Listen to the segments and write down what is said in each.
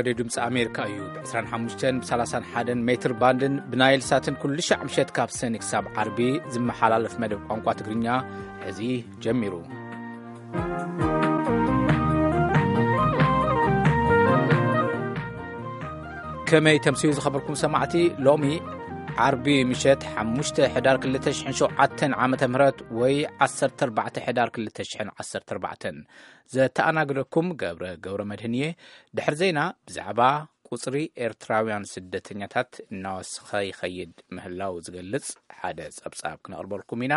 ሬድዮ ድምፂ ኣሜሪካ እዩ። ብ25 ብ31 ሜትር ባንድን ብናይል ሳትን ኩሉ ሻዕ ምሸት ካብ ሰኒ ክሳብ ዓርቢ ዝመሓላለፍ መደብ ቋንቋ ትግርኛ ሕዚ ጀሚሩ። ከመይ ተምስዩ ዝኸበርኩም ሰማዕቲ? ሎሚ ዓርቢ ምሸት ሓሙሽተ ሕዳር ክልተ ሽሕን ሸውዓተን ዓመተ ምህረት ወይ ዓሰርተ ኣርባዕተ ሕዳር ክልተ ሽሕን ዓሰርተ ኣርባዕተን፣ ዘተኣናግደኩም ገብረ ገብረ መድህን እየ። ድሕሪ ዜና ብዛዕባ ቁጽሪ ኤርትራውያን ስደተኛታት እናወሰኸ ይኸይድ ምህላው ዝገልጽ ሓደ ጸብጻብ ክነቕርበልኩም ኢና።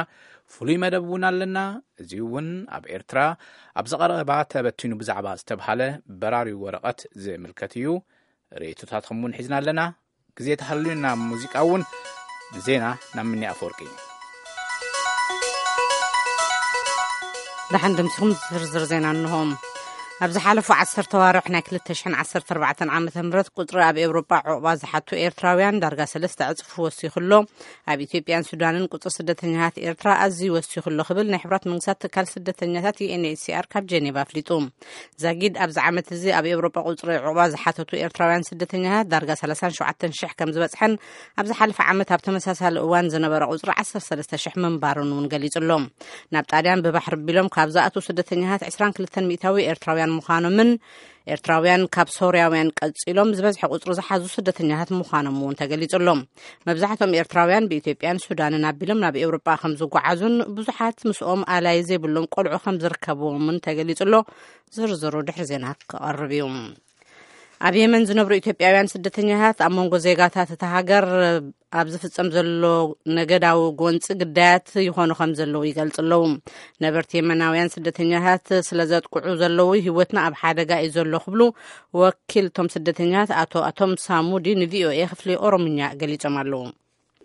ፍሉይ መደብ እውን ኣለና። እዚ እውን ኣብ ኤርትራ ኣብዚ ቀረባ ተበቲኑ ብዛዕባ ዝተብሃለ በራሪ ወረቐት ዝምልከት እዩ። ርእይቶታትኩም እውን ሒዝና ኣለና። ግዜ ተሃልዩና ሙዚቃ እውን፣ ንዜና ናብ ምኒ ኣፈወርቂ። ደሓን ድምስኹም ዝርዝር ዜና እንሆ። ኣብ ዝሓለፉ ዓሰርተ ዋርሕ ናይ ክልተ ሽሕን ዓሰርተ ኣርባዕተን ዓመተ ምህረት ቁጽሪ ኣብ ኤውሮጳ ዑቕባ ዝሓቱ ኤርትራውያን ዳርጋ ሰለስተ ዕጽፊ ወሲኹ ኣሎ። ኣብ ኢትዮጵያን ሱዳንን ቁጽሪ ስደተኛታት ኤርትራ ኣዝዩ ወሲኹ ኣሎ ክብል ናይ ሕብራት መንግስታት ትካል ስደተኛታት ዩ ኤን ኤች ሲ ኣር ካብ ጀኔቫ ኣፍሊጡ። ዛጊድ ኣብዚ ዓመት እዚ ኣብ ኤውሮጳ ቁጽሪ ዑቕባ ዝሓተቱ ኤርትራውያን ስደተኛታት ዳርጋ ሰላሳን ሸውዓተን ሽሕ ከም ዝበጽሐን፣ ኣብ ዝሓለፈ ዓመት ኣብ ተመሳሳሊ እዋን ዝነበረ ቁጽሪ ዓሰርተ ሰለስተ ሽሕ ምንባሩን እውን ገሊጹ ኣሎ። ናብ ጣልያን ብባሕሪ ቢሎም ካብ ዝኣትዉ ስደተኛታት ዕስራን ክልተን ሚእታዊ ኤርትራውያን ምዃኖምን፣ ኤርትራውያን ካብ ሶርያውያን ቀጺሎም ዝበዝሐ ቁጽሪ ዝሓዙ ስደተኛታት ምዃኖም እውን ተገሊጹ ኣሎ። መብዛሕትኦም ኤርትራውያን ብኢትዮጵያን ሱዳንን ኣቢሎም ናብ ኤውሮጳ ከም ዝጓዓዙን ብዙሓት ምስኦም ኣላይ ዘይብሎም ቆልዑ ከም ዝርከብዎምን ተገሊጹ ኣሎ። ዝርዝሩ ድሕሪ ዜና ክቐርብ እዩ። ኣብ የመን ዝነብሩ ኢትዮጵያውያን ስደተኛታት ኣብ መንጎ ዜጋታት እታ ሃገር ኣብ ዝፍጸም ዘሎ ነገዳዊ ጎንጺ ግዳያት ይኾኑ ከም ዘለዉ ይገልጹ ኣለዉ። ነበርቲ የመናውያን ስደተኛታት ስለ ዘጥቅዑ ዘለዉ ህይወትና ኣብ ሓደጋ እዩ ዘሎ ክብሉ ወኪል እቶም ስደተኛታት ኣቶ ኣቶም ሳሙዲ ንቪኦኤ ክፍሊ ኦሮምኛ ገሊጾም ኣለዉ።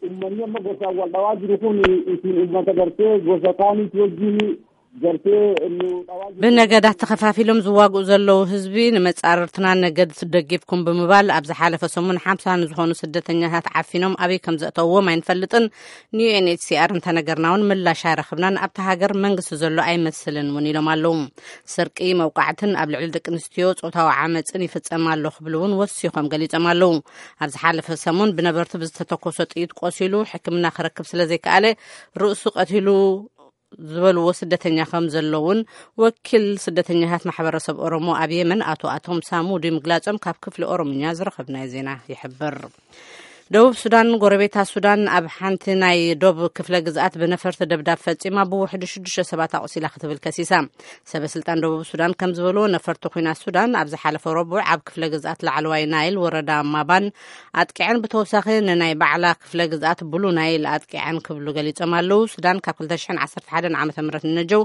Uummanni amma gosa wal dhawaa jiru kun isin uummata gartee gosa kaaniif wajjin gartee nu dhawaa jiru. ብነገዳት ተኸፋፊሎም ዝዋግኡ ዘለዉ ህዝቢ ንመጻርርትና ነገድ ደጊፍኩም ብምባል ኣብ ዝሓለፈ ሰሙን ሓምሳ ንዝኾኑ ስደተኛታት ዓፊኖም ኣበይ ከም ዘእተውዎም ኣይንፈልጥን። ንዩ ኤን ኤች ሲ ኣር እንተነገርና እውን ምላሽ ኣይረኽብናን። ኣብታ ሃገር መንግስቲ ዘሎ ኣይመስልን እውን ኢሎም ኣለዉ። ስርቂ፣ መውቃዕትን ኣብ ልዕሊ ደቂ ኣንስትዮ ጾታዊ ዓመፅን ይፍጸም ኣሎ ክብሉ እውን ወሲኾም ገሊጾም ኣለዉ። ኣብ ዝሓለፈ ሰሙን ብነበርቲ ብዝተተኮሰ ጥይት ቆሲሉ ሕክምና ክረክብ ስለ ዘይከኣለ ርእሱ ቀቲሉ ዝበልዎ ስደተኛ ከም ዘለውን ወኪል ስደተኛታት ማሕበረሰብ ኦሮሞ ኣብ የመን ኣቶ ኣቶም ሳሙዲ ምግላጾም ካብ ክፍሊ ኦሮምኛ ዝረኸብናዮ ዜና ይሕብር። ደቡብ ሱዳን ጎረቤታ ሱዳን ኣብ ሓንቲ ናይ ዶብ ክፍለ ግዝኣት ብነፈርቲ ደብዳብ ፈጺማ ብውሕዱ ሽዱሽተ ሰባት ኣቑሲላ ክትብል ከሲሳ። ሰበ ስልጣን ደቡብ ሱዳን ከም ዝበልዎ ነፈርቲ ኲናት ሱዳን ኣብ ዝሓለፈ ረቡዕ ኣብ ክፍለ ግዝኣት ላዕለዋይ ናይል ወረዳ ማባን ኣጥቂዐን ብተወሳኺ ንናይ ባዕላ ክፍለ ግዝኣት ብሉ ናይል ኣጥቂዐን ክብሉ ገሊጾም ኣለዉ። ሱዳን ካብ ክልተ ሽሕን ዓሰርተ ሓደን ዓመተ ምህረት ንነጀው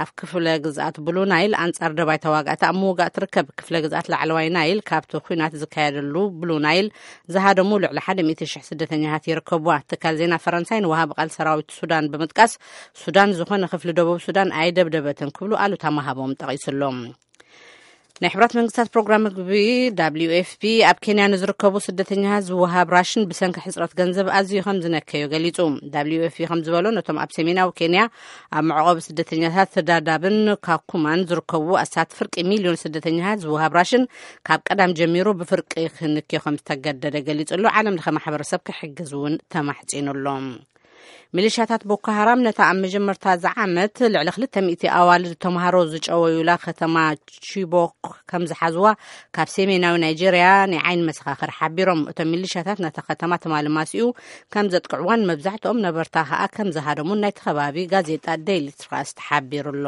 ኣብ ክፍለ ግዝኣት ብሉ ናይል ኣንጻር ደባይ ተዋጋእቲ ኣብ ምውጋእ ትርከብ። ክፍለ ግዝኣት ላዕለዋይ ናይል ካብቲ ኲናት ዝካየደሉ ብሉ ናይል ዝሃደሙ ልዕሊ ሓደ ሚእቲ ሽሕ ስደተኛታት ይርከብዋ። ትካል ዜና ፈረንሳይ ንወሃቢ ቃል ሰራዊት ሱዳን ብምጥቃስ ሱዳን ዝኾነ ክፍሊ ደቡብ ሱዳን ኣይደብደበትን ክብሉ ኣሉታ ምሃቦም ጠቒሱ ኣሎ። ናይ ሕብራት መንግስታት ፕሮግራም ምግቢ ደብሊው ኤፍ ፒ ኣብ ኬንያ ንዝርከቡ ስደተኛታት ዝወሃብ ራሽን ብሰንኪ ሕፅረት ገንዘብ ኣዝዩ ከም ዝነከዮ ገሊጹ። ደብሊው ኤፍ ፒ ከም ዝበሎ ነቶም ኣብ ሰሜናዊ ኬንያ ኣብ መዕቆቢ ስደተኛታት ዳዳብን ካኩማን ዝርከቡ ኣስታት ፍርቂ ሚልዮን ስደተኛታት ዝወሃብ ራሽን ካብ ቀዳም ጀሚሩ ብፍርቂ ክንክዮ ከም ዝተገደደ ገሊጹ ኣሎ። ዓለም ለኸ ማሕበረሰብ ክሕግዝ እውን ተማሕጺኑ ኣሎ። ሚሊሻታት ቦኮ ሃራም ነታ ኣብ መጀመርታ እዚ ዓመት ልዕሊ ክልተ ሚእቲ ኣዋልድ ተምሃሮ ዝጨወዩላ ከተማ ቺቦክ ከም ዝሓዝዋ ካብ ሰሜናዊ ናይጄርያ ናይ ዓይኒ መሰኻኽር ሓቢሮም። እቶም ሚሊሻታት ነታ ከተማ ትማሊ ማሲኡ ከም ዘጥቅዕዋን መብዛሕትኦም ነበርታ ከኣ ከም ዝሃደሙን ናይቲ ከባቢ ጋዜጣ ዴይሊ ትራስት ሓቢሩ ኣሎ።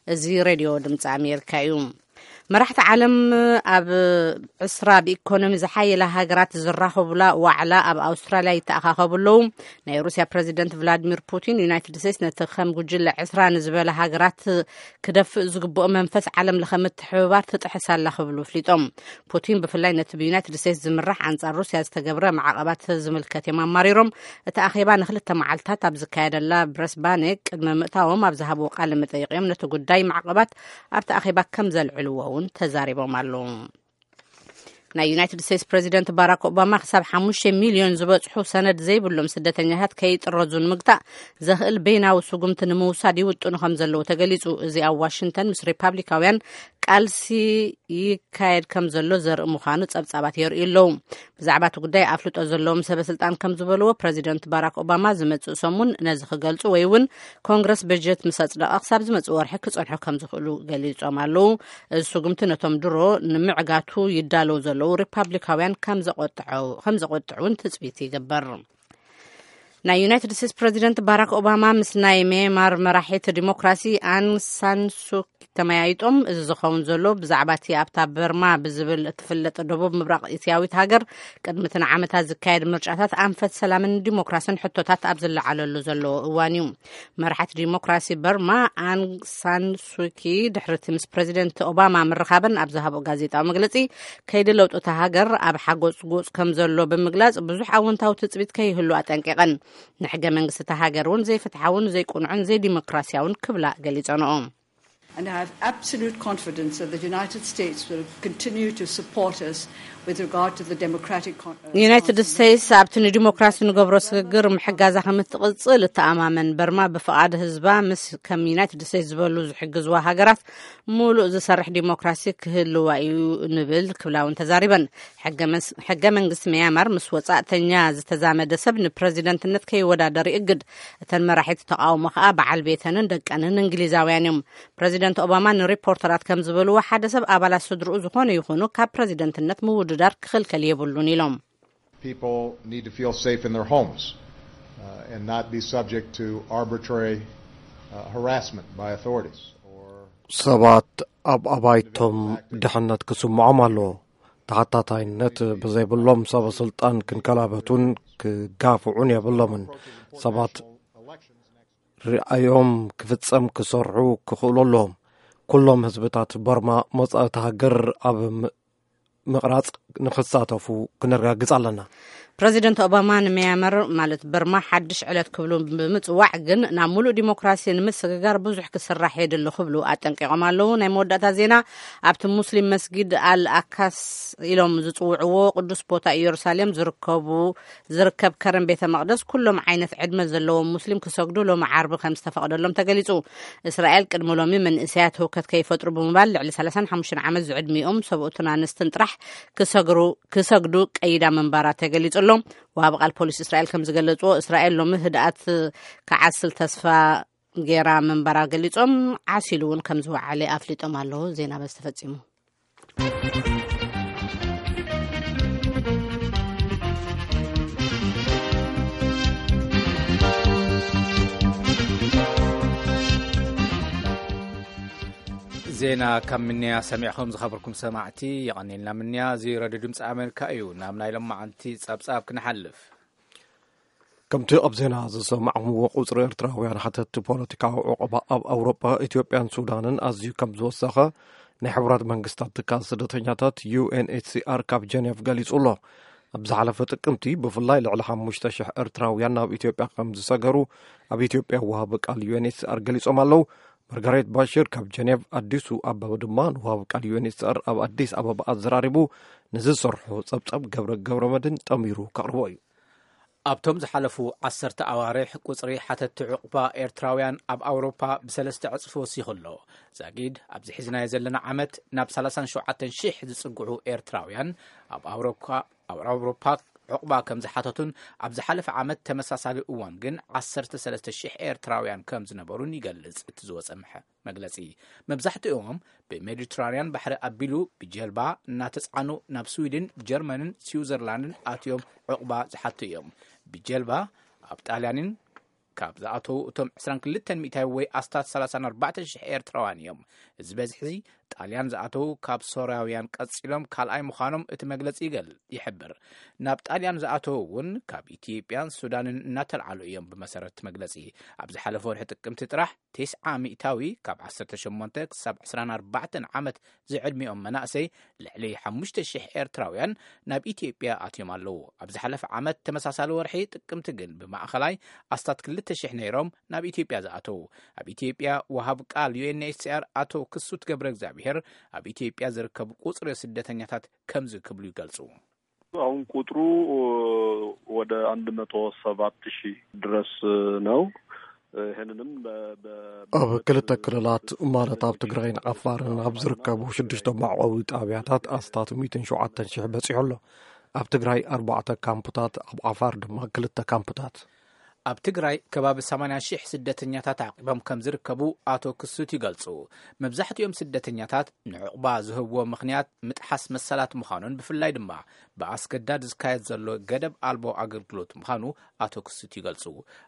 እዚ ሬድዮ ድምፂ ኣሜሪካ እዩ። መራሕቲ ዓለም ኣብ ዕስራ ብኢኮኖሚ ዝሓየላ ሃገራት ዝራኸቡላ ዋዕላ ኣብ ኣውስትራልያ ይተኣኻኸቡ ኣለዉ። ናይ ሩስያ ፕረዚደንት ቭላድሚር ፑቲን ዩናይትድ ስቴትስ ነቲ ከም ጉጅለ ዕስራ ንዝበላ ሃገራት ክደፍእ ዝግብኦ መንፈስ ዓለም ለኸ ምትሕብባር ትጥሕስ ኣላ ክብሉ ኣፍሊጦም። ፑቲን ብፍላይ ነቲ ብዩናይትድ ስቴትስ ዝምራሕ ኣንጻር ሩስያ ዝተገብረ ማዕቐባት ዝምልከት እዮም ኣማሪሮም። እቲ ኣኼባ ንክልተ መዓልታት ኣብ ዝካየደላ ብረስባኔ ቅድሚ ምእታዎም ኣብ ዝሃብዎ ቃለ መጠይቕ እዮም ነቲ ጉዳይ ማዕቐባት ኣብቲ ኣኼባ ከም ዘልዕልዎ እውን ተዛሪቦም ኣለዉ። ናይ ዩናይትድ ስቴትስ ፕረዚደንት ባራክ ኦባማ ክሳብ ሓሙሽተ ሚልዮን ዝበጽሑ ሰነድ ዘይብሎም ስደተኛታት ከይጥረዙ ንምግታእ ዘኽእል በይናዊ ስጉምቲ ንምውሳድ ይውጥኑ ከም ዘለዉ ተገሊጹ። እዚ ኣብ ዋሽንግተን ምስ ሪፓብሊካውያን ቃልሲ ይካየድ ከም ዘሎ ዘርኢ ምዃኑ ጸብጻባት የርእዩ ኣለዉ። ብዛዕባ እቲ ጉዳይ ኣፍልጦ ዘለዎም ሰበ ስልጣን ከም ዝበልዎ፣ ፕረዚደንት ባራክ ኦባማ ዝመጽእ ሰሙን ነዚ ክገልጹ ወይ እውን ኮንግረስ በጀት ምስ ኣጽደቐ ክሳብ ዝመጽእ ወርሒ ክጸንሑ ከም ዝኽእሉ ገሊጾም ኣለዉ። እዚ ስጉምቲ ነቶም ድሮ ንምዕጋቱ ይዳለዉ ዘለዉ ሪፓብሊካውያን ከም ዘቆጥዐው-፣ ከም ዘቆጥዕ እውን ትጽቢት ይግበር። ናይ ዩናይትድ ስቴትስ ፕረዚደንት ባራክ ኦባማ ምስ ናይ ሚያንማር መራሒት ዲሞክራሲ ኣን ሳን ሱኪ ተመያይጦም። እዚ ዝኸውን ዘሎ ብዛዕባ እቲ ኣብታ በርማ ብዝብል እትፍለጥ ደቡብ ምብራቕ እስያዊት ሃገር ቅድሚ እቲ ንዓመታት ዝካየድ ምርጫታት ኣንፈት ሰላምን ዲሞክራስን ሕቶታት ኣብ ዝለዓለሉ ዘለዎ እዋን እዩ። መራሒት ዲሞክራሲ በርማ ኣን ሳን ሱኪ ድሕሪ እቲ ምስ ፕረዚደንት ኦባማ ምርኻበን ኣብ ዝሃቦ ጋዜጣዊ መግለጺ፣ ከይዲ ለውጢ እታ ሃገር ኣብ ሓጎጽ ጎጽ ከም ዘሎ ብምግላጽ፣ ብዙሕ ኣወንታዊ ትጽቢት ከይህሉ ኣጠንቂቐን። ንሕገ መንግስቲ እታ ሃገር እውን ዘይፍትሓውን ዘይቅኑዕን ዘይዲሞክራሲያውን ክብላ ገሊጸንኦ። And I have absolute confidence that the United States will continue to support us with regard to the democratic con- uh, ዩናይትድ ስቴትስ ኣብቲ ንዲሞክራሲ ንገብሮ ስግግር ምሕጋዛ ከም እትቕጽል እተኣማመን። በርማ ብፍቓድ ህዝባ ምስ ከም ዩናይትድ ስቴትስ ዝበሉ ዝሕግዝዋ ሃገራት ምሉእ ዝሰርሕ ዲሞክራሲ ክህልዋ እዩ ንብል ክብላ እውን ተዛሪበን። ሕገ መስ-፣ ሕገ መንግስቲ ሚያንማር ምስ ወጻእተኛ ዝተዛመደ ሰብ ንፕረዚደንትነት ከይወዳደር ይእግድ። እተን መራሒት ተቃውሞ ከኣ በዓል ቤተንን ደቀንን እንግሊዛውያን እዮም። ፕረዚደንት ኦባማ ንሪፖርተራት ከም ዝበልዎ፣ ሓደ ሰብ ኣባላት ስድርኡ ዝኾነ ይኹኑ ካብ ፕረዚደንትነት ምውድዳር ክኽልከል የብሉን ኢሎም። People need to feel safe in their homes, uh, and not be subject to arbitrary, uh, harassment by authorities or ሰባት ኣብ ኣባይቶም ድሕነት ክስምዖም ኣለዎ። ተሓታታይነት ብዘይብሎም ሰበ ስልጣን ክንከላበቱን ክጋፍዑን የብሎምን። ሰባት ርኣዮም ክፍጸም ክሰርሑ ክኽእሉ ኣለዎም። ኩሎም ህዝብታት በርማ መጻኢ እታ ሃገር ኣብ ም-፣ ምቕራጽ ንኽሳተፉ ክነረጋግጽ ኣለና። ፕረዚደንት ኦባማ ንሚያንማር ማለት በርማ ሓድሽ ዕለት ክብሉ ብምጽዋዕ ግን ናብ ሙሉእ ዲሞክራሲ ንምስግጋር ብዙሕ ክስራሕ የድሊ ክብሉ ኣጠንቂቖም ኣለዉ። ናይ መወዳእታ ዜና፣ ኣብቲ ሙስሊም መስጊድ ኣል ኣካስ ኢሎም ዝጽውዕዎ ቅዱስ ቦታ ኢየሩሳሌም ዝርከቡ ዝርከብ ከረን ቤተ መቕደስ ኩሎም ዓይነት ዕድመ ዘለዎም ሙስሊም ክሰግዱ ሎሚ ዓርቢ ከም ዝተፈቕደሎም ተገሊጹ። እስራኤል ቅድሚ ሎሚ መንእሰያት ህውከት ከይፈጥሩ ብምባል ልዕሊ ሰላሳን ሓሙሽተን ዓመት ዝዕድሚኦም ሰብኡትን ኣንስትን ጥራሕ ክሰግሩ-፣ ክሰግዱ ቀይዳ ምንባራ ተገሊጹ ኣሎ። ወሃቢ ቃል ፖሊስ እስራኤል ከም ዝገለጽዎ፣ እስራኤል ሎሚ ህድኣት ክዓስል ተስፋ ገይራ ምንባራ ገሊጾም፣ ዓሲሉ እውን ከም ዝወዓለ ኣፍሊጦም ኣለዉ። ዜና በዚ ተፈጺሙ። ዜና ካብ ምንያ ሰሚዕኹም ዝኸበርኩም ሰማዕቲ፣ የቐኔልና ምንያ። እዚ ረድዮ ድምፂ ኣሜሪካ እዩ። ናብ ናይ ሎማዓንቲ ጸብጻብ ክንሓልፍ። ከምቲ ኣብ ዜና ዝሰማዕኩምዎ፣ ቁጽሪ ኤርትራውያን ሓተትቲ ፖለቲካዊ ዑቕባ ኣብ ኣውሮጳ፣ ኢትዮጵያን ሱዳንን ኣዝዩ ከም ዝወሰኸ ናይ ሕቡራት መንግስታት ትካል ስደተኛታት ዩ ኤን ኤች ሲ ኣር ካብ ጀኔቭ ገሊጹ ኣሎ። ኣብ ዝሓለፈ ጥቅምቲ ብፍላይ ልዕሊ ሓሙሽተ ሽሕ ኤርትራውያን ናብ ኢትዮጵያ ከም ዝሰገሩ ኣብ ኢትዮጵያ ወሃቢ ቃል ዩ ኤን ኤች ሲ ኣር ገሊጾም ኣለዉ። ማርጋሬት ባሽር ካብ ጀኔቭ፣ ኣዲሱ ኣበበ ድማ ንወሃቢ ቃል ዩ ኤን ኤች ሲ ኣር ኣብ ኣዲስ ኣበባ ኣዘራሪቡ፣ ንዝሰርሖ ጸብጻብ ገብረ ገብረ መድህን ጠሚሩ ከቕርቦ እዩ። ኣብቶም ዝሓለፉ ዓሰርተ ኣዋርሕ ቁጽሪ ሓተትቲ ዑቕባ ኤርትራውያን ኣብ ኣውሮፓ ብሰለስተ ዕጽፊ ወሲኹ ኣሎ። ዛጊድ ኣብዚ ሒዝናዮ ዘለና ዓመት ናብ ሰላሳን ሸውዓተን ሽሕ ዝጽግዑ ኤርትራውያን ኣብ ኣውሮፓ፣ ኣብ ኣውሮፓ ዑቕባ ከም ዝሓተቱን ኣብ ዝሓለፈ ዓመት ተመሳሳሊ እዋን ግን ዓሰርተ ሰለስተ ሽሕ ኤርትራውያን ከም ዝነበሩን ይገልጽ እቲ ዝወጸ ምሐ-፣ መግለጺ። መብዛሕትኦም ብሜዲትራንያን ባሕሪ ኣቢሉ ብጀልባ እናተጻዕኑ ናብ ስዊድን፣ ጀርመንን ስዊዘርላንድን ኣትዮም ዑቕባ ዝሓቱ እዮም። ብጀልባ ኣብ ጣልያንን ካብ ዝኣተዉ እቶም ዕስራን ክልተን ሚእታዊ ወይ ኣስታት ሰላሳን ኣርባዕተን ሽሕ ኤርትራውያን እዮም። እዚ በዝሒ ጣልያን ዝኣተዉ ካብ ሶርያውያን ቀጺሎም ካልኣይ ምዃኖም እቲ መግለጺ ይገል-፣ ይሕብር። ናብ ጣልያን ዝኣተዉ እውን ካብ ኢትዮጵያን ሱዳንን እናተልዓሉ እዮም። ብመሰረት እቲ መግለጺ፣ ኣብ ዝሓለፈ ወርሒ ጥቅምቲ ጥራሕ ተስዓ ሚእታዊ ካብ ዓሰርተ ሸሞንተ ክሳብ ዕስራን ኣርባዕተን ዓመት ዝዕድሚኦም መናእሰይ ልዕሊ ሓሙሽተ ሽሕ ኤርትራውያን ናብ ኢትዮጵያ ኣትዮም ኣለዉ። ኣብ ዝሓለፈ ዓመት ተመሳሳሊ ወርሒ ጥቅምቲ ግን ብማእኸላይ ኣስታት ክልተ ሽሕ ነይሮም ናብ ኢትዮጵያ ዝኣተዉ። ኣብ ኢትዮጵያ ወሃብ ቃል ዩ ኤን ኤች ሲ ኣር ኣቶ ክሱት ገብረ እግዚኣብሔር ኣብ ኢትዮጵያ ዝርከቡ ቁጽሪ ስደተኛታት ከምዚ ክብሉ ይገልጹ። አሁን ቁጥሩ ወደ አንድ መቶ ሰባት ሺህ ድረስ ነው። ይህንንም በ- በ- ኣብ ክልተ ክልላት ማለት ኣብ ትግራይን ዓፋርን ኣብ ዝርከቡ ሽዱሽተ መዕቆቢ ጣብያታት ኣስታት ሚእትን ሸውዓተን ሽሕ በፂሑ ኣሎ። ኣብ ትግራይ ኣርባዕተ ካምፕታት፣ ኣብ ዓፋር ድማ ክልተ ካምፕታት። ኣብ ትግራይ ከባቢ ሰማንያ ሽሕ ስደተኛታት ዓቂቦም ከም ዝርከቡ ኣቶ ክሱት ይገልጹ። መብዛሕትኦም ስደተኛታት ንዕቑባ ዝህብዎ ምኽንያት ምጥሓስ መሰላት ምዃኑን ብፍላይ ድማ ብኣስገዳድ ዝካየድ ዘሎ ገደብ ኣልቦ ኣገልግሎት ምዃኑ ኣቶ ክሱት ይገልጹ።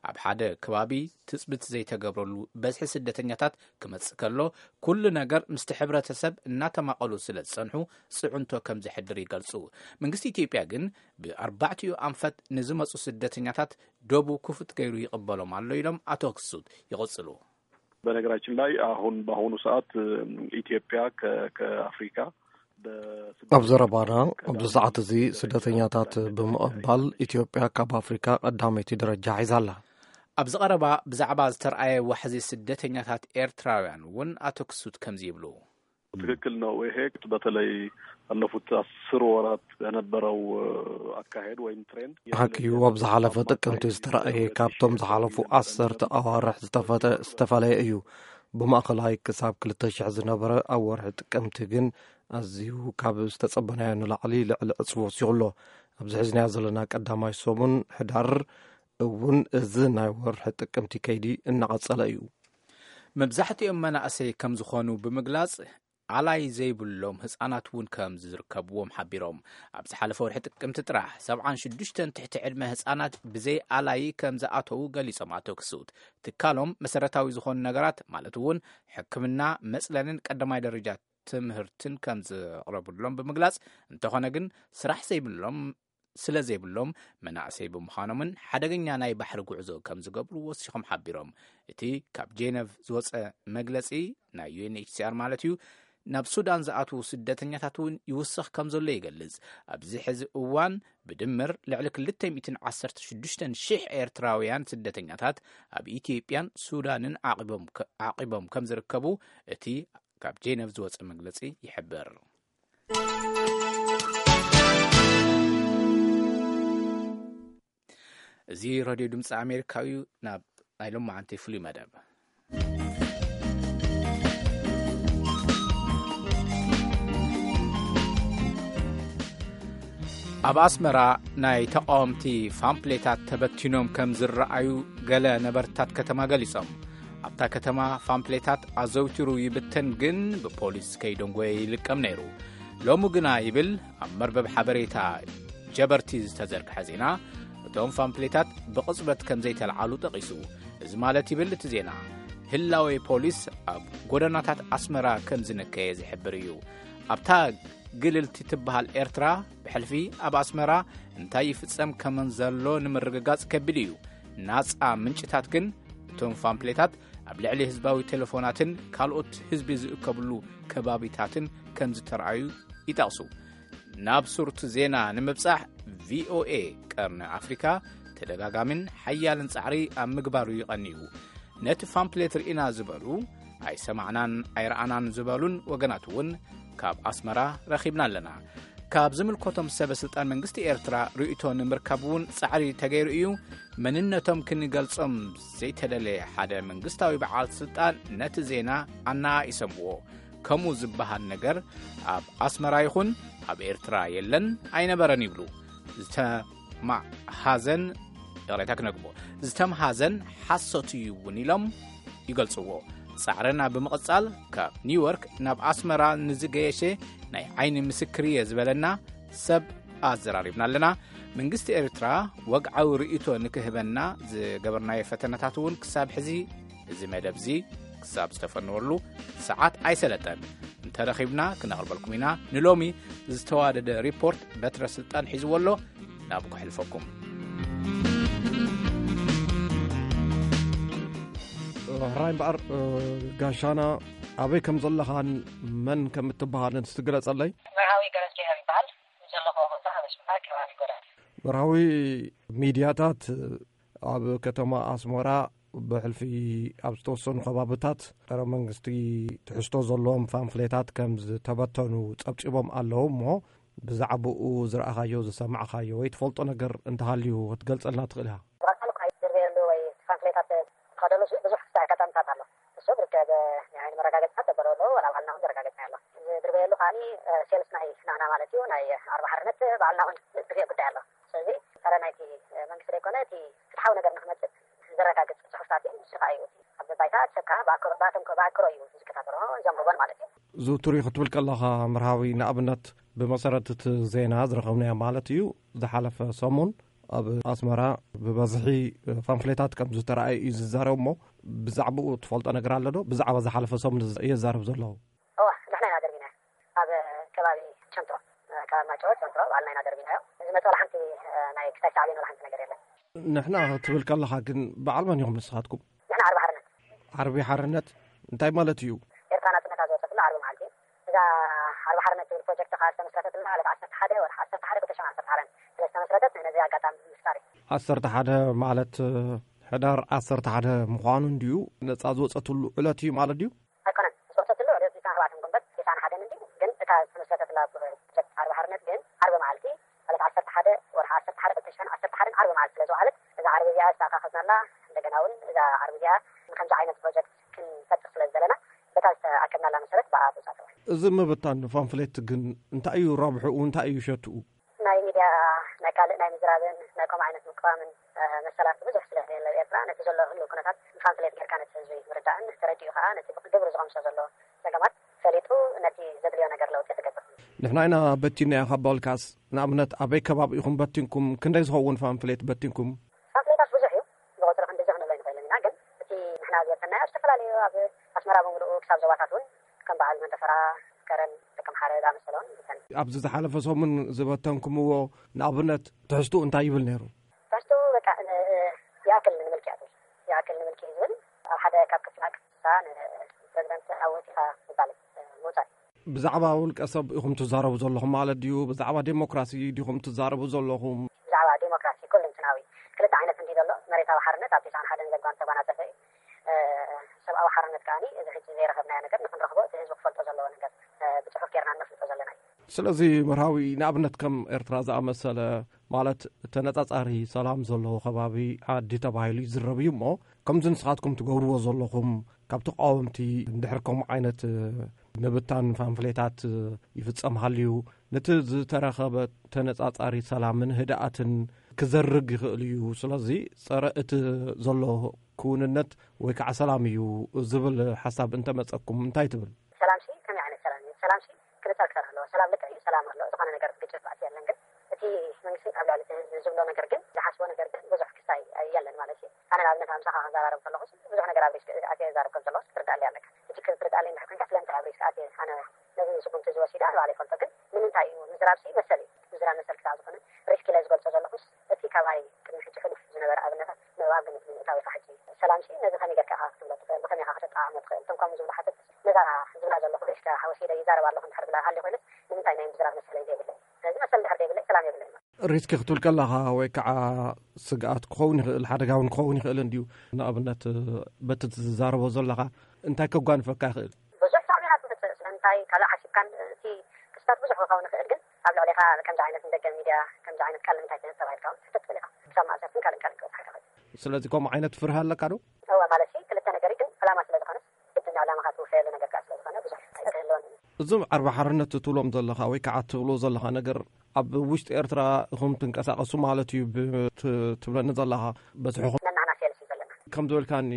ኣብ ሓደ ከባቢ ትጽብት ዘይተገብረሉ በዝሒ ስደተኛታት ክመጽእ ከሎ፣ ኩሉ ነገር ምስቲ ሕብረተሰብ እናተማቐሉ ስለ ዝጸንሑ ጽዕንቶ ከም ዘሕድር ይገልጹ። መንግስቲ ኢትዮጵያ ግን ብኣርባዕቲኡ ኣንፈት ንዝመጹ ስደተኛታት ዶቡ ክፉት ገይሩ ይቕበሎም ኣሎ ኢሎም ኣቶ ክሱት ይቕጽሉ። በነገራችን ላይ አሁን በአሁኑ ሰዓት ኢትዮጵያ ከአፍሪካ ኣብ ዘረባና ኣብዚ ሰዓት እዚ ስደተኛታት ብምቕባል ኢትዮጵያ ካብ ኣፍሪካ ቀዳመይቲ ደረጃ ሒዛ ኣላ። ኣብዚ ቀረባ ብዛዕባ ዝተረኣየ ዋሕዚ ስደተኛታት ኤርትራውያን እውን ኣቶ ክሱት ከምዚ ይብሉ። ትክክል ነው። ይሄ በተለይ ባለፉት አስር ወራት የነበረው አካሄድ ወይም ትሬንድ ሓቂ እዩ። ኣብ ዝሓለፈ ጥቅምቲ ዝተረኣየ ካብቶም ዝሓለፉ ዓሰርተ ኣዋርሕ ዝተፈለየ እዩ። ብማእኸላይ ክሳብ ክልተ ሽሕ ዝነበረ ኣብ ወርሒ ጥቅምቲ ግን ኣዝዩ ካብ ዝተጸበናዮ ንላዕሊ ልዕሊ ዕጽፊ ወሲኹ ኣሎ። ኣብዚ ሒዝናዮ ዘለና ቀዳማይ ሰሙን ሕዳር እውን እዚ ናይ ወርሒ ጥቅምቲ ከይዲ እናቐጸለ እዩ። መብዛሕትኦም መናእሰይ ከም ዝኾኑ ብምግላጽ፣ ኣላይ ዘይብሎም ህጻናት እውን ከም ዝርከብዎም ሓቢሮም። ኣብ ዝሓለፈ ወርሒ ጥቅምቲ ጥራሕ ሰብዓን ሽዱሽተን ትሕቲ ዕድመ ህጻናት ብዘይ ኣላይ ከም ዝኣተዉ ገሊጾም ኣቶ ክሱት። ትካሎም መሰረታዊ ዝኾኑ ነገራት ማለት እውን ሕክምና፣ መጽለልን ቀዳማይ ደረጃ ትምህርትን ከም ዝቕረብሎም ብምግላጽ፣ እንተኾነ ግን ስራሕ ዘይብሎም ስለ ዘይብሎም መናእሰይ ብምዃኖምን ሓደገኛ ናይ ባሕሪ ጉዕዞ ከም ዝገብሩ ወሲኾም ሓቢሮም። እቲ ካብ ጄነቭ ዝወፀ መግለፂ ናይ ዩ ኤን ኤች ሲ ኣር ማለት እዩ፣ ናብ ሱዳን ዝኣትዉ ስደተኛታት እውን ይውስኽ ከም ዘሎ ይገልጽ። ኣብዚ ሕዚ እዋን ብድምር ልዕሊ ክልተ ሚእትን ዓሰርተ ሽዱሽተን ሽሕ ኤርትራውያን ስደተኛታት ኣብ ኢትዮጵያን ሱዳንን ዓቒቦም ከ- ዓቒቦም ከም ዝርከቡ እቲ ካብ ጄነቭ ዝወፀ መግለፂ ይሕብር። እዚ ሬድዮ ድምፂ ኣሜሪካ እዩ። ናብ ናይ ሎማዓንቲ ፍሉይ መደብ። ኣብ ኣስመራ ናይ ተቃወምቲ ፋምፕሌታት ተበቲኖም ከም ዝረኣዩ ገለ ነበርታት ከተማ ገሊጾም። ኣብታ ከተማ ፋምፕሌታት ኣዘውቲሩ ይብተን፣ ግን ብፖሊስ ከይደንጎየ ይልቀም ነይሩ። ሎሚ ግና ይብል ኣብ መርበብ ሓበሬታ ጀበርቲ ዝተዘርግሐ ዜና፣ እቶም ፋምፕሌታት ብቕጽበት ከም ዘይተለዓሉ ጠቒሱ። እዚ ማለት ይብል እቲ ዜና፣ ህላዌ ፖሊስ ኣብ ጎደናታት ኣስመራ ከም ዝነከየ ዝሕብር እዩ። ኣብታ ግልልቲ ትበሃል ኤርትራ ብሕልፊ ኣብ ኣስመራ እንታይ ይፍጸም ከም ዘሎ ንምርግጋጽ ከቢድ እዩ። ናጻ ምንጭታት ግን እቶም ፋምፕሌታት ኣብ ልዕሊ ህዝባዊ ቴሌፎናትን ካልኦት ህዝቢ ዝእከብሉ ከባቢታትን ከም ዝተረኣዩ ይጠቕሱ። ናብ ሱርቱ ዜና ንምብጻሕ ቪኦኤ ቀርኒ ኣፍሪካ ተደጋጋሚን ሓያልን ጻዕሪ ኣብ ምግባሩ ይቐንዩ። ነቲ ፋምፕሌት ርኢና ዝበሉ፣ ኣይሰማዕናን ኣይረኣናን ዝበሉን ወገናት እውን ካብ ኣስመራ ረኺብና ኣለና። ካብ ዝምልከቶም ሰበ ስልጣን መንግስቲ ኤርትራ ርእይቶ ንምርካብ እውን ጻዕሪ ተገይሩ እዩ። መንነቶም ክንገልጾም ዘይተደለየ ሓደ መንግስታዊ በዓል ስልጣን ነቲ ዜና ኣነኣኢሶምዎ። ከምኡ ዝበሃል ነገር ኣብ ኣስመራ ይኹን ኣብ ኤርትራ የለን፣ ኣይነበረን ይብሉ። ዝተማሃዘን፣ ይቕሬታ ክነግቦ፣ ዝተምሃዘን ሓሶት እዩ እውን ኢሎም ይገልጽዎ። ጻዕረና ብምቕጻል ካብ ኒውዮርክ ናብ ኣስመራ ንዝገየሸ ናይ ዓይኒ ምስክር እየ ዝበለና ሰብ ኣዘራሪብና ኣለና። መንግስቲ ኤርትራ ወግዓዊ ርእይቶ ንክህበና ዝገበርናዮ ፈተነታት እውን ክሳብ ሕዚ እዚ መደብ እዚ ክሳብ ዝተፈነወሉ ሰዓት ኣይሰለጠን። እንተረኺብና ክነቕርበልኩም ኢና። ንሎሚ ዝተዋደደ ሪፖርት በትረ ስልጣን ሒዝዎ ኣሎ። ናብ ከሕልፈኩም። ሕራይ እምበኣር፣ ጋሻና፣ ኣበይ ከም ዘለኻን መን ከም እትበሃልን እስቲ ግለጸለይ። መርሃዊ ገረዝጊሄር ይበሃል። ዘለኹዎ ቦታ ኣብ ኣስመራ ከባቢ ጎዳና። መርሃዊ፣ ሚድያታት ኣብ ከተማ ኣስመራ ብሕልፊ ኣብ ዝተወሰኑ ከባብታት ጸረ መንግስቲ ትሕዝቶ ዘለዎም ፓምፍሌታት ከም ዝተበተኑ ጸብጺቦም ኣለዉ። እሞ ብዛዕባኡ ዝረኣኻዮ፣ ዝሰማዕኻዮ ወይ ትፈልጦ ነገር እንተሃልዩ ክትገልጸልና ትኽእል ኢኻ? ብቐጻሊ እኳ ዝርኣየሉ ወይ ፓምፍሌታት ዝኸደኑ ወላ ባዕልና እውን ዘረጋገጽና ኣሎ። ዝድርበየሉ ከዓኒ፣ እ፣ ሴልስ ናይ ንሕና ማለት እዩ፣ ናይ ኣርባ ሓርነት ባዕልና እውን ዝድርበየ ጉዳይ ኣሎ። ስለዚ ጸረ ናይቲ፣ እ፣ መንግስቲ ዘይኮነ፣ እቲ ፍትሓዊ ነገር ንክመጽእ ዘረጋግጽ ጽሑፍታት እዩ። ንሱ ከኣ እዩ እቲ ኣብ ባይታ ሰብ ከኣ ብኣክሮ-፣ ብኣቶም ከ-፣ ብኣክሮ እዩ ዝከታተሎ፣ ዘንብቦን ማለት እዩ። ዝውቱር እዩ ክትብል ከለኻ መርሃዊ፣ ንኣብነት ብመሰረት እቲ ዜና ዝረኸብናዮ ማለት እዩ፣ ዝሓለፈ ሰሙን ኣብ ኣስመራ ብበዝሒ ፓምፍሌታት ከም ዝተረኣየ እዩ ዝዛረብ። እሞ ብዛዕባኡ ትፈልጦ ነገር ኣሎ ዶ? ብዛዕባ ዝሓለፈ ሰሙን እየ ዝዛረብ ዘለኹ። እዋ፣ ንሕና ኢና ደርቢና ኣብ ከባቢ ቸንትሮ፣ ከባቢ ማይጨወት ቸንትሮ ባዕልና ኢና ደርቢናዮ። ዝመፀ ወላ ሓንቲ ናይ ክሳይ ሳዕቤን ወላ ሓንቲ ነገር የለን። ንሕና ክትብል ከለኻ ግን በዓል መን ኢኹም ንስኻትኩም? ንሕና ዓርቢ ሓርነት። ዓርቢ ሓርነት እንታይ ማለት እዩ? ኤርትራ ናጽነታ ዝወጸትሉ ዓርቢ መዓልቲ። እዛ ዓርቢ ሓርነት ትብል ፕሮጀክት ከኣ ዝተመስረተትላ ዕለት ዓሰርተ ሓደ ወርሒ ዓሰርተ ሓደ ክልተ ሽሕን ዓሰርተ ሓደን ስለ ዝተመስረተት ነዚ ኣጋጣሚ ምፍጣር እዩ። ዓሰርተ ሓደ ማለት ሕዳር ዓሰርተ ሓደ ምዃኑ እንድዩ ነጻ ዝወጸትሉ ዕለት እዩ ማለት ድዩ? ኣይኮነን፣ ዝወጸትሉ ዕለት ዒስራን ኣርባዕተን ግንቦት ዒስራን ሓደን እንድዩ፣ ግን እታ ዝተመስረተትላ ፕሮጀክት ዓርቢ ሓርነት ግን ዓርቢ መዓልቲ ዕለት ዓሰርተ ሓደ ወርሒ ዓሰርተ ሓደ ክልተ ሽሕን ዓሰርተ ሓደን ዓርቢ መዓልቲ ስለ ዝወዓለት እዛ ዓርቢ እዚኣ ዝተኣኻኸብናላ፣ እንደገና እውን እዛ ዓርቢ እዚኣ ንከምዚ ዓይነት ፕሮጀክት ክንፈጥር ስለ ዝደለና በታ ዝተኣከብናላ መሰረት ብኣ ተውጻእተዋ። እዚ ምብታን ፓምፍሌት ግን እንታይ እዩ ረብሕኡ? እንታይ እዩ ሸትኡ? ናይ ሚድያ፣ ናይ ካልእ ናይ ምዝራብን ናይ ከምኡ ዓይነት ምቅዋምን፣ እ፣ መሰላት ብዙሕ ስለ ዘየለ ኣብ ኤርትራ ነቲ ዘሎ ህሉው ኩነታት ፓምፍሌት ጌርካ ነቲ ህዝቢ ምርዳእን ተረዲኡ ከኣ ነቲ ብግብሪ ዝቐምሶ ዘሎ ጸገማት ፈሊጡ ነቲ ዘድልዮ ነገር ለውጢ ክገብር። ንሕና ኢና በቲናዮ ካብ በልካስ፣ ንኣብነት ኣበይ ከባቢ ኢኹም በቲንኩም? ክንደይ ዝኸውን ፓምፍሌት በቲንኩም? ፓምፍሌታት ብዙሕ እዩ። ብቁጽሪ ክንድዚ ክንብሎ ኣይንኽእልን ኢና፣ ግን እቲ ንሕና ዝበተናዮ ኣብ ዝተፈላለዩ ኣብ ኣስመራ ብምሉኡ ክሳብ ዞባታት እውን ከም በዓል መንደፈራ፣ ከረን፣ ደቀምሓረ ዝኣመሰለ እውን ይበተን። ኣብዚ ዝሓለፈ ሰሙን ዝበተንኩምዎ ንኣብነት ትሕዝትኡ እንታይ ይብል ነይሩ? ትሕዝትኡ በቃ ን-፣ ይኣክል ንምልኪ ይኣክል፣ ይኣክል ንምልኪ እዩ ዝብል። ኣብ ሓደ ካብ ክፍላ ክፍሳ ንፕሬዚደንት ኣወጺኻ ምባል፣ ምውጻእ። ብዛዕባ ውልቀ ሰብ ኢኹም ትዛረቡ ዘለኹም ማለት ድዩ? ብዛዕባ ዴሞክራሲ ዲኹም ትዛረቡ ዘለኹም? ብዛዕባ ዴሞክራሲ ኩለንትናዊ ክልተ ዓይነት እንዲ ዘሎ፣ መሬታዊ ሓርነት ኣብ ቲስዓን ሓደን ዘጓን ተጓናጸፈ እዩ። እ፣ ሰብኣዊ ሓርነት ከኣ እዚ ሕጂ ዘይረኸብናዮ ነገር ንክንረኽቦ እቲ ህዝቢ ክፈልጦ ዘለዎ ነገር፣ እ፣ ብጽሑፍ ጌርና ነፍልጦ ዘለና እዩ። ስለዚ መርሃዊ ንኣብነት ከም ኤርትራ ዝኣመሰለ ማለት ተነጻጻሪ ሰላም ዘለዎ ከባቢ ዓዲ ተባሂሉ ይዝረብ እዩ እሞ ከምዚ ንስኻትኩም ትገብርዎ ዘለኹም ካብ ተቃወምቲ እንድሕር ከምኡ ዓይነት ምብታን ፓምፍሌታት ይፍጸም ሃልዩ፣ ነቲ ዝተረኸበ ተነጻጻሪ ሰላምን ህድኣትን ክዘርግ ይኽእል እዩ። ስለዚ ጸረ እቲ ዘሎ ክውንነት ወይ ከዓ ሰላም እዩ ዝብል ሓሳብ እንተመጸኩም እንታይ ትብል? ሰላም ሲ ከመይ ዓይነት ሰላም እዩ? ሰላም ሲ ክልተ ክልተ ኣለዎ። ሰላም ልክዕ እዩ፣ ሰላም ኣሎ። ዝኾነ ነገር ግጭት ባእሲ የለን። ግን እቲ መንግስቲ ኣብ ልዕሊ እቲ ህዝቢ ዝብሎ ነገር ግን ዝሓስቦ ነገር ግን ብዙሕ ክስታይ የለን ማለት እዩ። ኣነ ንኣብነት ኣምሳኻ ክዘራረብ ከለኹ ብዙሕ ነገር ኣብ ሪስክ ኣትየ ይዛረብ ከም ዘለኹ ክትርዳእለይ ኣለካ። እቲ ክትርዳእለይ እንድሕር ኮንካ ስለምንታይ ኣብ ሪስክ ኣትየ ኣነ ነዚ ስጉምቲ ዝወሲደ ኣነ ባዕለይ ይፈልጦ። ግን ንምንታይ እዩ ምዝራብ ሲ መሰል እዩ። ምዝራብ መሰል ክሳዕ ዝኾነ ሪስክ ኢለ ዝገልጾ ዘለኹስ እቲ ካባይ ቅድሚ ሕጂ ሕሉፍ ዝነበረ ኣብነታት ምእባብ ግምት ብምእታው ኢኻ። ሕጂ ሰላም ሲ ነዚ ከመይ ጌርካ ኢኻ ክትብሎ ትኽእል? ብኸመይ ኢኻ ከተጠዓዕሞ ትኽእል? እቶም ከምኡ ዝብሉ ሓተት ነዛ ዝብላ ዘለኹ ሪስክ ወሲደ ይዛረብ ኣለኹ እንድሕር ብላ ሃልዩ ኮይነስ ንምንታይ ናይ ምዝራብ መሰለይ ዘይብለይ? ስለዚ መሰል እንድሕር ዘይብለይ ሰላም የብለይ። ሪስክ ክትብል ከለኻ ወይ ከዓ ስግኣት ክኸውን ይኽእል፣ ሓደጋ እውን ክኸውን ይኽእል እንድዩ። ንኣብነት በቲ ትዛረቦ ዘለኻ እንታይ ከጓንፈካ ይኽእል? ብዙሕ ሳዕቤናት ትምፅእ። ስለምንታይ ካልእ ሓሲብካን እቲ ክስታት ብዙሕ ክኸውን ይኽእል፣ ግን ኣብ ልዕሌኻ ከምዚ ዓይነት ንደገ ሚድያ ከምዚ ዓይነት ቃል ንምንታይ ትህብ ተባሂልካ እውን ትሕተት ትኽእል ኢኻ። ክሳብ ማእሰርትን ካልእን ካልእን ክበፅሓካ ይኽእል። ስለዚ ከምኡ ዓይነት ፍርሃ ኣለካ ዶ? እወ፣ ማለት ሲ ክልተ ነገር እዩ፣ ግን ዕላማ ስለ ዝኾነስ ግድን ዕላማኻ ትውፈየሉ ነገር ከዓ ስለ ዝኾነ ብዙሕ ኣይክህልዎን እዩ። እዞም ዓርቢ ሓርነት ትብሎም ዘለኻ ወይ ከዓ ትብሎ ዘለኻ ነገር ኣብ ውሽጢ ኤርትራ ኢኹም ትንቀሳቐሱ ማለት እዩ ብ-፣ ት-፣ ትብለኒ ዘለኻ በዝሕኹም? ነናና ሴልስ እዩ ዘለና። ከም ዝበልካኒ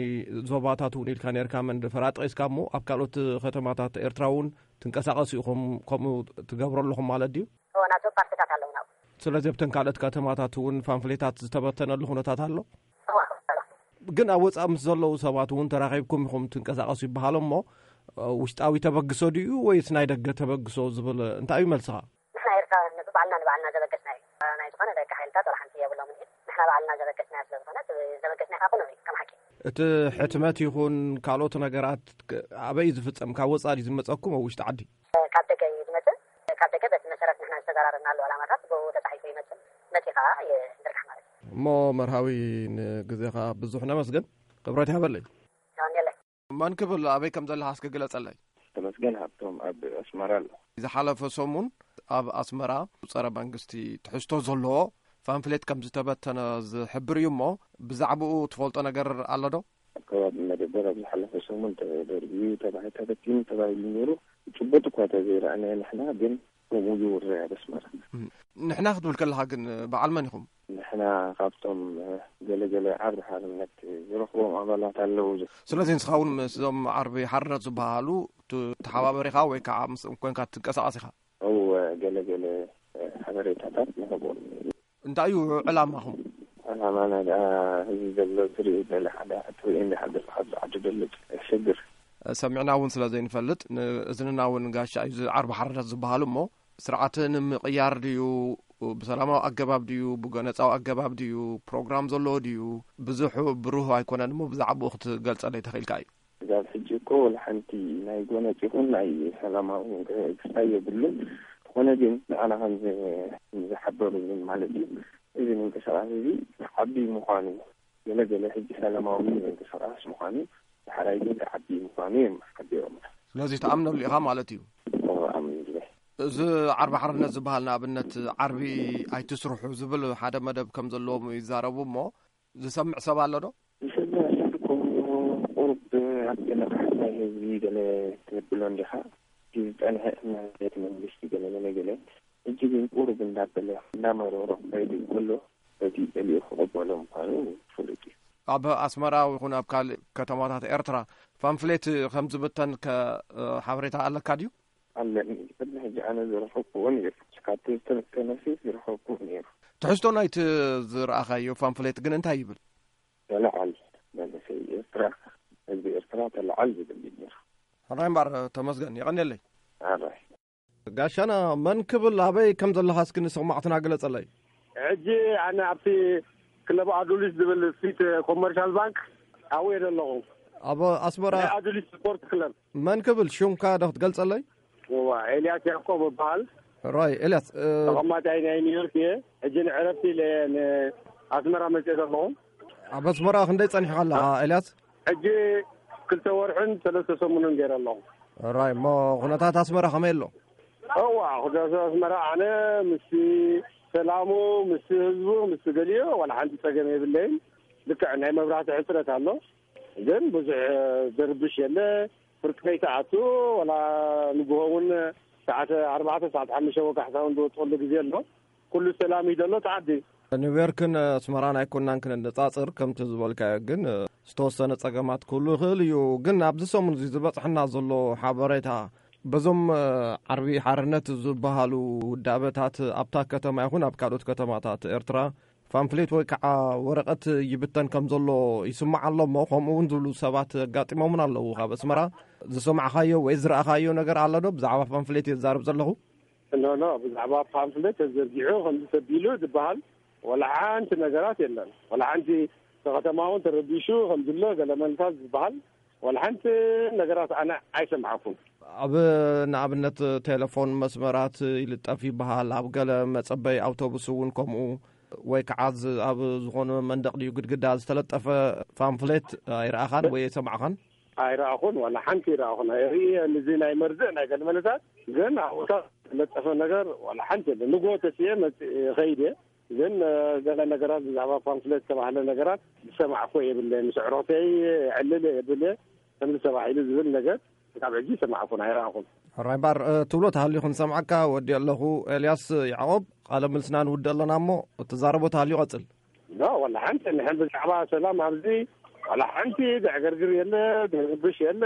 ዞባታት እውን ኢልካ ነርካ መንደፈራ ጠቒስካ እሞ ኣብ ካልኦት ከተማታት ኤርትራ እውን ትንቀሳቐሱ ኢኹም ከምኡ ትገብሩ ኣለኹም ማለት ድዩ? እወ፣ ናቶም ፓርትታት ኣለውና። ስለዚ ኣብተን ካልኦት ከተማታት እውን ፓምፍሌታት ዝተበተነሉ ኩነታት ኣሎ? እወ፣ ኣሎ። ግን ኣብ ወጻኢ ምስ ዘለዉ ሰባት እውን ተራኺብኩም ኢኹም ትንቀሳቐሱ ይበሃል እሞ ውሽጣዊ ተበግሶ ድዩ ወይስ ናይ ደገ ተበግሶ ዝብል እንታይ እዩ መልስኻ? ንሕና ኤርትራውያን ባዕልና ንባዕልና ዘበገስናዮ ናይ ዝኾነ ደገ ሓይልታት ወላ ሓንቲ የብሎምን እዩ። ንሕና ባዕልና ዘበገስናዮ ስለ ዝኾነ እቲ ዘበገስናዮ ከዓ ኩነው እዩ ከም ሓቂ። እቲ ሕትመት ይኹን ካልኦት ነገራት ክ-፣ ኣበይ እዩ ዝፍጸም? ካብ ወጻኢ ድዩ ዝመጸኩም ኣብ ውሽጢ ዓዲ? ካብ ደገ እዩ ዝመጽእ። ካብ ደገ በቲ መሰረት ንሕና ዝተዘራረብናሉ ዕላማታት ብኡ ተጻሒፉ ይመጽእ፣ መጺኡ ከዓ ይዝርጋሕ ማለት እዩ። እሞ መርሃዊ ንግዜኻ ብዙሕ ነመስግን። ክብረት ይሃበለይ። የቐንየለይ። መን ክብል ኣበይ ከም ዘለኻ እስኪ ግለጸለይ። ተመስገን ሃብቶም ኣብ ኣስመራ ኣሎ። ዝሓለፈ ሰሙን ኣብ ኣስመራ ጸረ መንግስቲ ትሕዝቶ ዘለዎ ፓምፍሌት ከም ዝተበተነ ዝሕብር እዩ እሞ ብዛዕባኡ ትፈልጦ ነገር ኣሎ ዶ? ከባቢ መደበር ኣብ ዝሓለፈ ሰሙን ተደርብዩ፣ ተባሂ ተበቲኑ ተባሂሉ ነይሩ። ጭቡጥ እኳ ተዘይረኣናዮ ንሕና ግን ከምኡ ይውረ ኣብ ኣስመራ። ንሕና ክትብል ከለኻ ግን በዓል መን ኢኹም? ንሕና ካብቶም ገለገለ ዓርቢ ሓርነት ዝረኽቦም ኣባላት ኣለዉ። ስለዚ ንስኻ እውን ምስዞም ዓርቢ ሓርነት ዝበሃሉ ት- ተሓባበሪኻ ወይ ከዓ ምስኦም ኮንካ ትንቀሳቐስ ኢኻ? እወ፣ ገለገለ ሓበሬታታት ንህቦም። እንታይ እዩ ዕላማኹም? ዕላማና ደኣ እዚ ዘሎ ትርኢ ገለ ሓደ ትርኢ እንዲ ሓደር ካብ ዝዓዲ ደልጥ ሽግር። ሰሚዕና እውን ስለ ዘይንፈልጥ ንእዝንና እውን ጋሻ እዩ። እዚ ዓርቢ ሓርነት ዝበሃሉ እሞ ስርዓት ንምቕያር ድዩ፣ ብሰላማዊ ኣገባብ ድዩ፣ ብጎነጻዊ ኣገባብ ድዩ፣ ፕሮግራም ዘለዎ ድዩ? ብዙሕ ብሩህ ኣይኮነን እሞ ብዛዕባኡ ክትገልጸለይ ተኽኢልካ እዩ። ክሳብ ሕጂ እኮ ወላ ሓንቲ ናይ ጎነጽ ይኹን ናይ ሰላማዊ ምንቅስቃስ የብሉን። ዝኾነ ግን ንዓና ከም ዝ- ዝሓበሩኒ ማለት እዩ፣ እዚ ምንቅስቃስ እዚ ዓቢ ምዃኑ፣ ገለ ገለ ሕጂ ሰላማዊ ምንቅስቃስ ምዃኑ፣ ድሕራይ ግን ዓቢ ምዃኑ እዮም ሓቢሮም። ስለዚ ትኣምነሉ ኢኻ ማለት እዩ። እዎ፣ ኣምንሉ። እዚ ዓርቢ ሓርነት ዝበሃል ንኣብነት ዓርቢ ኣይትስርሑ ዝብል ሓደ መደብ ከም ዘለዎም ይዛረቡ እሞ ዝሰምዕ ሰብ ኣሎ ዶ? ዝሰምዕ ሰብ እኮ ቁሩብ ኣብ ገለ ክሓት ናይ ህዝቢ ገለ ትብሎ እንዲኻ። እቲ ዝጸንሐ እምነት መንግስቲ ገለ ገለ ገለ፣ ሕጂ ግን ቁሩብ እንዳበለ እንዳመረሮ ከይዱ እንከሎ፣ በቲ ገሊኡ ክቕበሎ ምዃኑ ፍሉጥ እዩ። ኣብ ኣስመራ ይኹን ኣብ ካልእ ከተማታት ኤርትራ ፓምፍሌት ከም ዝብተን ከ ሓበሬታ ኣለካ ድዩ? ኣለኒ። ቅድሚ ሕጂ ኣነ ዝረኸብኩዎ ነይሩ። ካብቲ ዝተበተነ ሲ ዝረኸብኩዎ ነይሩ። ትሕዝቶ ናይቲ ዝረኣኻዮ ፓምፍሌት ግን እንታይ ይብል? ተለዓል መንእሰይ ኤርትራ፣ ህዝቢ ኤርትራ ተለዓል ዝብል እዩ ነይሩ። ሕራይ እምበኣር ተመስገን፣ የቐንየለይ። ኣራይ። ጋሻና መን ክብል ኣበይ ከም ዘለኻ እስኪ ንሰማዕትና ግለጸለይ። ሕጂ ኣነ ኣብቲ ክለብ ኣዱሊስ ዝብል ፊት ኮመርሻል ባንክ ኣብኡ እየ ዘለኹ። ኣብ ኣስመራ ናይ ኣዱሊስ ስፖርት ክለብ። መን ክብል ሽምካ ዶ ክትገልጸለይ? እዋ፣ ኤልያስ ያዕቆብ እበሃል። ራይ ኤልያስ፣ እ፣ ተቐማጣይ ናይ ኒውዮርክ እየ። ሕጂ ንዕረፍቲ ኢለ እየ ንኣስመራ መፅየ ዘለኹ። ኣብ ኣስመራ ክንደይ ጸኒሕካ ኣለኻ ኤልያስ? ሕጂ ክልተ ወርሕን ሰለስተ ሰሙንን ገይረ ኣለኹ። ራይ፣ እሞ ኩነታት ኣስመራ ከመይ ኣሎ? እዋ፣ ኩነታት ኣስመራ ኣነ ምስ ሰላሙ፣ ምስ ህዝቡ፣ ምስ ገሊኡ ዋላ ሓንቲ ጸገም የብለይን። ልክዕ ናይ መብራህቲ ሕጽረት ኣሎ፣ ግን ብዙሕ ዝርብሽ የለ። ፍርቂ ከይትኣቱ፣ ዋላ ንግሆ እውን ሰዓት ኣርባዕተ፣ ሰዓት ሓሙሽተ ወጋሕታ እውን ዝወፅኣሉ ግዜ ኣሎ። ኩሉ ሰላም እዩ ዘሎ፣ ተዓዲ። ኒውዮርክን ኣስመራን ኣይኮናን ክነነጻጽር፣ ከምቲ ዝበልካዮ ግን ዝተወሰነ ጸገማት ክህሉ ይኽእል እዩ። ግን ኣብዚ ሰሙን እዚ ዝበጽሐና ዘሎ ሓበሬታ፣ በዞም ዓርቢ ሓርነት ዝበሃሉ ውዳበታት ኣብታ ከተማ ይኹን ኣብ ካልኦት ከተማታት ኤርትራ ፓምፍሌት ወይ ከዓ ወረቐት ይብተን ከም ዘሎ ይስማዕ ኣሎ እሞ፣ ከምኡ እውን ዝብሉ ሰባት ኣጋጢሞምን ኣለዉ። ካብ ኣስመራ ዝሰማዕካዮ ወይ ዝረኣኻዮ ነገር ኣሎ ዶ? ብዛዕባ ፓምፍሌት እየ ዝዛረብ ዘለኹ። ኖ፣ ኖ፣ ብዛዕባ ፓምፍሌት ተዘርጊሑ ከምዚ ተቢሉ ዝበሃል ዋላ ሓንቲ ነገራት የለን። ዋላ ሓንቲ፣ እቲ ከተማ እውን ተረቢሹ ከም ዝሎ ገለ መልታት ዝበሃል ዋላ ሓንቲ ነገራት ኣነ ኣይሰማዕኩን። ኣብ ንኣብነት ቴሌፎን መስመራት ይልጠፍ ይበሃል፣ ኣብ ገለ መጸበይ ኣውቶቡስ እውን ከምኡ፣ ወይ ከዓ ዝ-፣ ኣብ ዝኾነ መንደቕ ድዩ ግድግዳ ዝተለጠፈ ፓምፍሌት ኣይረኣኻን ወይ ኣይሰማዕኻን? ኣይረኣኹን፣ ዋላ ሓንቲ ኣይረኣኹን። ኣይርኢ፣ እዚ ናይ መርድእ ናይ ገለ መልታት ግን ኣብኡታት ዝተለጠፈ ነገር ዋላ ሓንቲ የለን። ንግሆ ተስየ መጽ-፣ ከይደ ግን፣ እ፣ ገለ ነገራት ብዛዕባ ፓምፍሌት ዝተባህለ ነገራት ዝሰማዕኮ የብለይን። ምስ ኣዕሩኽተይ የዕልል የብል እየ፣ ከምዚ ተባሂሉ ዝብል ነገር ካብ ሕጂ ሰማዕኩን ኣይረኣኹን። ሕራይ እምበኣር፣ እ፣ ትብሎ ተሃልዩ ክንሰምዓካ ወዲ ኣለኹ። ኤልያስ ያዕቆብ፣ ቃለ ምልስና ንውድእ ኣለና እሞ፣ እትዛረቦ ተሃልዩ ቀጽል። ኖ፣ ዋላ ሓንቲ ንሕን ብዛዕባ ሰላም ኣብዚ ዋላ ሓንቲ ዘዕገርግር የለ፣ ዝርብሽ የለ።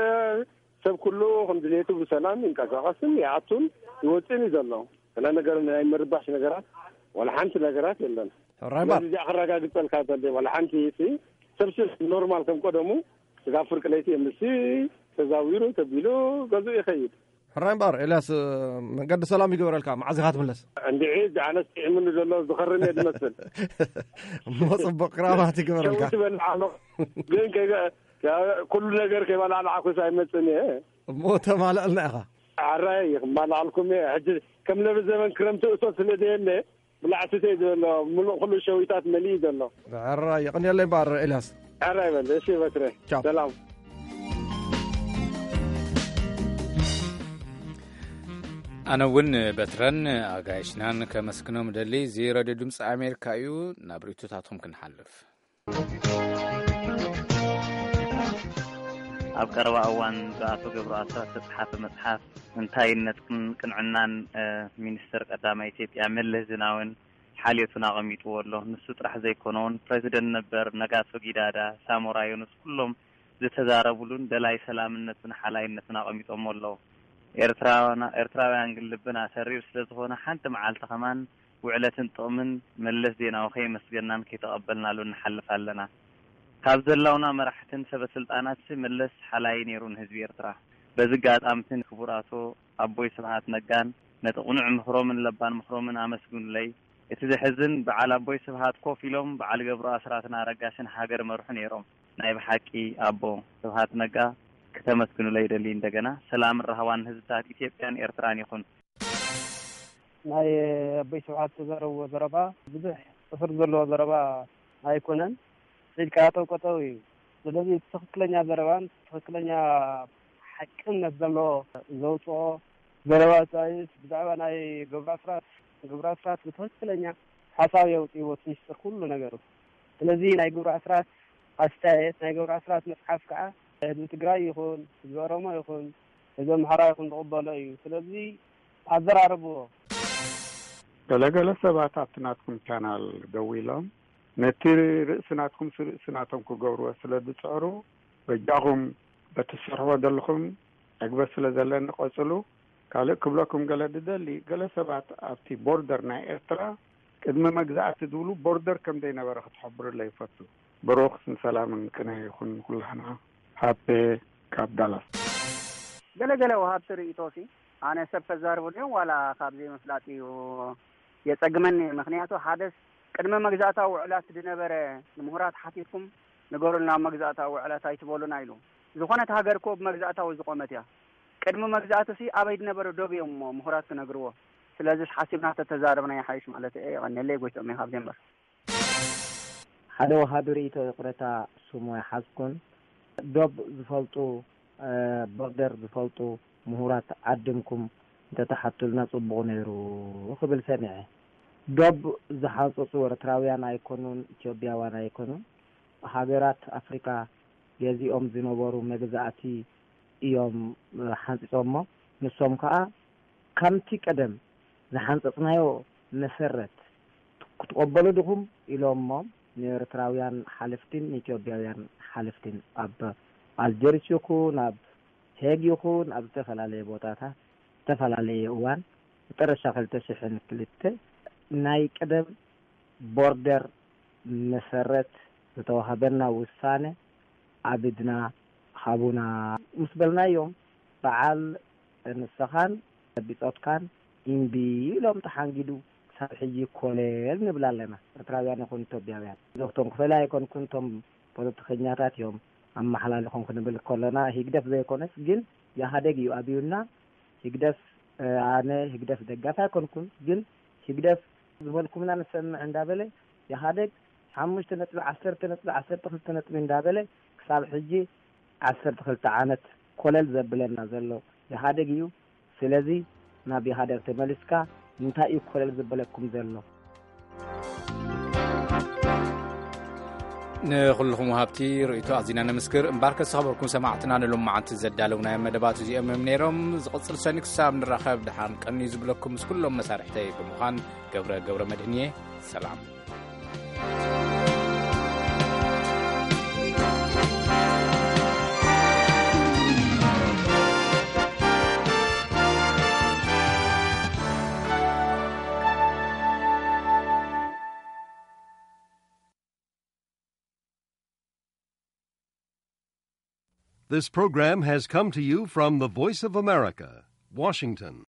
ሰብ ኩሉ ከም ድሌቱ ብሰላም ይንቀሳቐስን ይኣቱን ይወፅእን እዩ ዘሎ። ገለ ነገር ናይ ምርባሽ ነገራት ዋላ ሓንቲ ነገራት የለን። ሕራይ እምበኣር። ነዚ እዚኣ ክረጋግጸልካ ዘለ ዋላ ሓንቲ ሲ ሰብ ሲ ኖርማል ከም ቀደሙ ስጋብ ፍርቂ ለይቲ ምስ ተዛዊሩ ተቢሉ ገዝኡ ይኸይድ። ሕራይ እምበኣር ኤልያስ፣ መንገዲ ሰላም ይግበረልካ። መዓዝ ኢኻ ትምለስ? እንድዒ፣ እዚ ኣነስ ጥዒሙኒ ዘሎ ዝኸርም እየ ዝመስል። እሞ ጽቡቕ ክራማት ይግበረልካ። ሸዊት ይበልዕ ኣሎ። ግን ከይበ-፣ ከ-፣ ኩሉ ነገር ከይበላዕላዕኩስ ኣይመጽእን እየ። እሞ ተማልኣልና ኢኻ። ሕራይ ክማልኣልኩም እየ። ሕጂ ከም ለብዘበን ክረምቲ እቶት ስለ ዘየለ፣ ብላዕቲ ተይ ዘሎ፣ ምሉእ ኩሉ ሸዊታት መሊኡ ዘሎ። ሕራይ፣ የቐንየለይ እምበኣር ኤልያስ። ሕራይ በል፣ እሺ በትረ። ቻው። ሰላም። ኣነ እውን በትረን ኣጋይሽናን ከመስግኖም እደሊ። እዚ ሬድዮ ድምፂ ኣሜሪካ እዩ። ናብ ርእይቶታትኩም ክንሓልፍ። ኣብ ቀረባ እዋን ብኣቶ ገብሩ ኣስራት ዝተጻሓፈ መጽሓፍ እንታይነትን ቅንዕናን፣ እ፣ ሚኒስተር ቀዳማይ ኢትዮጵያ መለስ ዜናዊን ሓልዮቱን ኣቐሚጥዎ ኣሎ። ንሱ ጥራሕ ዘይኮነ እውን ፕረዚደንት ነበር ነጋሶ ጊዳዳ፣ ሳሞራ ዮኑስ ኩሎም ዝተዛረቡሉን ደላይ ሰላምነቱን ሓላይነቱን ኣቐሚጦሞ ኣለዉ። ኤርትራውያና-፣ ኤርትራውያን ግን ልብና ተሪር ስለ ዝኾነ ሓንቲ መዓልቲ ከማን ውዕለትን ጥቕምን መለስ ዜናዊ ከየመስገናን ከይተቐበልናሉን ንሓልፍ ኣለና። ካብ ዘላውና መራሕትን ሰበ ስልጣናትሲ መለስ ሓላይ ነይሩ ንህዝቢ ኤርትራ። በዚ ኣጋጣሚ ክቡር ኣቶ ኣቦይ ስብሓት ነጋን ነቲ ቅኑዕ ምኽሮምን ለባም ምኽሮምን ኣመስግኑለይ። እቲ ዘሕዝን በዓል ኣቦይ ስብሓት ኮፍ ኢሎም በዓል ገብሩ ኣስራትን ኣረጋሽን ሃገር መርሑ ነይሮም። ናይ ብሓቂ ኣቦ ስብሓት ነጋ ክተመስግኑለይ ይደሊ። እንደገና ሰላምን ራህዋን ህዝብታት ኢትዮጵያን ኤርትራን ይኹን። ናይ ኣቦይ ስብሓት ዝተዛረብዎ ዘረባ ብዙሕ ጽፍር ዘለዎ ዘረባ ኣይኮነን። ኢልካ ጠውቀጠው እዩ። ስለዚ እቲ ትኽክለኛ ዘረባን ትኽክለኛ ሓቅነት ዘለዎ ዘውፅኦ ዘረባ ፃይስ ብዛዕባ ናይ ገብሩ ኣስራት፣ ገብሩ ኣስራት ብትኽክለኛ ሓሳብ የውፅእዎ እቲ ሚስጥር ኩሉ ነገሩ። ስለዚ ናይ ገብሩ ኣስራት ኣስተያየት፣ ናይ ገብሩ ኣስራት መፅሓፍ ከዓ ህዝቢ ትግራይ ይኹን ህዝቢ ኦሮሞ ይኹን ህዝቢ ኣምሓራ ይኹን ዝቕበሎ እዩ። ስለዚ ኣዘራርብዎ። ገለገለ ሰባት ኣብቲ ናትኩም ቻናል ደው ኢሎም ነቲ ርእሲ ናትኩም ርእሲ ናቶም ክገብርዎ ስለ ዝፅዕሩ፣ በጃኹም በቲ ትሰርሕዎ ዘለኹም ዕግበት ስለ ዘለኒ ቀፅሉ። ካልእ ክብለኩም ገለ ዝደሊ፣ ገለ ሰባት ኣብቲ ቦርደር ናይ ኤርትራ ቅድሚ መግዛእቲ ዝብሉ ቦርደር ከም ዘይነበረ ክትሕብሩለይ ይፈቱ። ብሩኽ ሰላምን ቅነ ይኹን ኩላህና። ሃብተ ካብ ዳላስ። ገለገለ ወሃብቲ ርእይቶሲ ኣነ ሰብ ከዛርበሉዮም ዋላ ካብ ዘይምፍላጥ እዩ የጸግመኒ። ምኽንያቱ ሓደስ ቅድሚ መግዛእታዊ ውዕላት ዝነበረ ንምሁራት ሓቲትኩም ንገሩልና፣ ኣብ መግዛእታዊ ውዕላት ኣይትበሉና ኢሉ። ዝኾነት ሃገር እኮ ብመግዛእታዊ ዝቆመት እያ። ቅድሚ መግዛእትሲ ኣበይ ዝነበረ ዶብ እዮም እሞ ምሁራት ክነግርዎ። ስለዚስ ሓሲብና ተተዛረብና ይሓይሽ ማለት እየ። የቐንየለይ፣ ጎይትኦም እየ ካብ ዴንቨር። ሓደ ወሃቢ ርእይቶ ይቕረታ ስሙ ኣይሓዝኩን። ዶብ ዝፈልጡ፣ እ፣ ቦርደር ዝፈልጡ ምሁራት ዓድምኩም እንተተሓቱልና ጽቡቕ ነይሩ ክብል ሰሚዐ። ዶብ ዝሓንጸጹ ኤርትራውያን ኣይኮኑን፣ ኢትዮጵያውያን ኣይኮኑን። ሃገራት ኣፍሪካ ገዚኦም ዝነበሩ መግዛእቲ እዮም፣ እ፣ ሓንጺጾሞ። ንሶም ከኣ ከምቲ ቀደም ዝሓንጸጽናዮ መሰረት ክትቐበሉ ዲኹም ኢሎሞም ንኤርትራውያን ሓለፍቲን ንኢትዮጵያውያን ሓለፍቲን ኣብ ኣልጀርስ ይኹን ኣብ ሄግ ይኹን ኣብ ዝተፈላለየ ቦታታት ዝተፈላለየ እዋን መጠረሻ ክልተ ሽሕን ክልተ ናይ ቀደም ቦርደር መሰረት ዝተዋህበና ውሳነ ኣብ ኢድና ሃቡና ምስ በልናዮም፣ በዓል ንስኻን ብጾትካን እምቢ ኢሎም ተሓንጊዱ ክሳብ ሕጂ ኮለል ንብል ኣለና፣ ኤርትራውያን ይኹን ኢትዮጵያውያን። ዶክተር ክፈላ ኣይኮንኩን፣ እቶም ፖለቲከኛታት እዮም ኣመሓላሊኾም ክንብል ከለና፣ ህግደፍ ዘይኮነስ ግን ኢህኣደግ እዩ ኣብዩና። ህግደፍ፣ እ፣ ኣነ ህግደፍ ደጋፊ ኣይኮንኩን፣ ግን ህግደፍ ዝበልኩምና ንሰምዕ እንዳበለ፣ ኢህኣደግ ሓሙሽተ ነጥቢ ዓሰርተ ነጥቢ ዓሰርተ ክልተ ነጥቢ እንዳበለ ክሳብ ሕጂ ዓሰርተ ክልተ ዓመት ኮለል ዘብለና ዘሎ ኢህኣደግ እዩ። ስለዚ ናብ ኢህኣደግ ተመሊስካ እንታይ እዩ ኮለል ዘበለኩም ዘሎ? ንኹልኹም ወሃብቲ ርእይቶ ኣዚና ነመስግን። እምበኣርከስ ዝኸበርኩም ሰማዕትና፣ ንሎማዓንቲ ዘዳለውናዮም መደባት እዚኦም እዮም ነይሮም። ዝቕጽል ሰኒ ክሳብ ንራኸብ ደሓን ቀንዩ ዝብለኩም ምስ ኩሎም መሳርሕተይ ብምዃን ገብረ ገብረ መድህን እየ። ሰላም። This program has come to you from the Voice of America, Washington.